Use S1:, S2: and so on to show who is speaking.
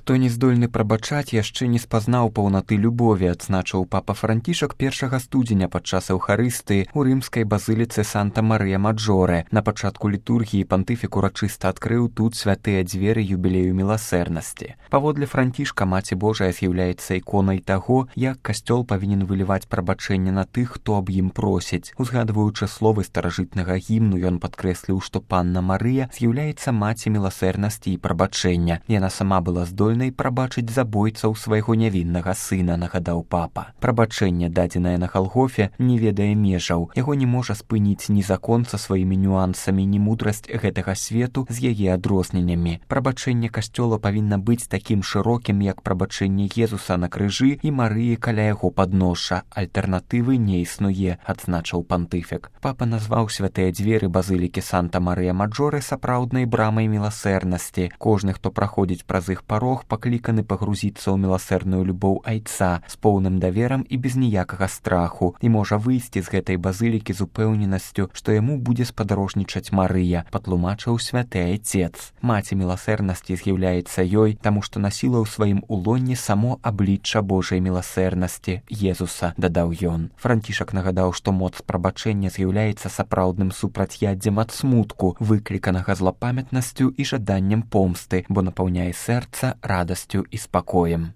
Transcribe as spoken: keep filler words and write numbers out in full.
S1: Хто не здольны прабачаць, яшчэ не спазнаў паўнаты любові, адзначыў папа Францішак першага студзеня падчас эўхарыстыі ў рымскай базыліцы Санта-Марыя-Маджоре. На пачатку літургіі пантыфік урачыста адкрыў тут святыя дзверы юбілею міласэрнасці. Паводле Францішка Маці Божая з'яўляецца іконай таго, як касцёл павінен выліваць прабачэнне на тых, хто аб ім просіць. Узгадваючы словы старажытнага гімну, ён падкрэсліў, што панна Марыя з'яўляецца маці міласэрнасці і прабачэння. Яна сама была здольна здольнай прабачыць забойцаў свайго нявіннага сына, нагадаў папа. Прабачэнне, дадзенае на Галгофе, не ведае межаў. Яго не можа спыніць ні закон са сваімі нюансамі, ні мудрасць гэтага свету з яе адрозненнямі. Прабачэнне касцёла павінна быць такім шырокім, як прабачэнне Езуса на крыжы і Марыі каля яго падноша. Альтэрнатывы не існуе, адзначыў пантыфік. Папа назваў святыя дзверы базылікі Санта-Марыя-Маджоре сапраўднай брамай міласэрнасці. Кожны, хто праходзіць праз іх парог, пакліканы пагрузіцца ў міласэрную любоў айца з поўным даверам і без ніякага страху і можа выйсці з гэтай базылікі з упэўненасцю, што яму будзе спадарожнічаць Марыя, патлумачыў святы айцец. Маці міласэрнасці з'яўляецца ёй, таму што насіла ў сваім улонні само аблічча Божай міласэрнасці Езуса, дадаў ён. Францішак нагадаў, што моц прабачэння з'яўляецца сапраўдным супрацьяддзем ад смутку, выкліканага злапамятнасцю і жаданнем помсты, бо напаўняе сэрца радасцю і спакоем.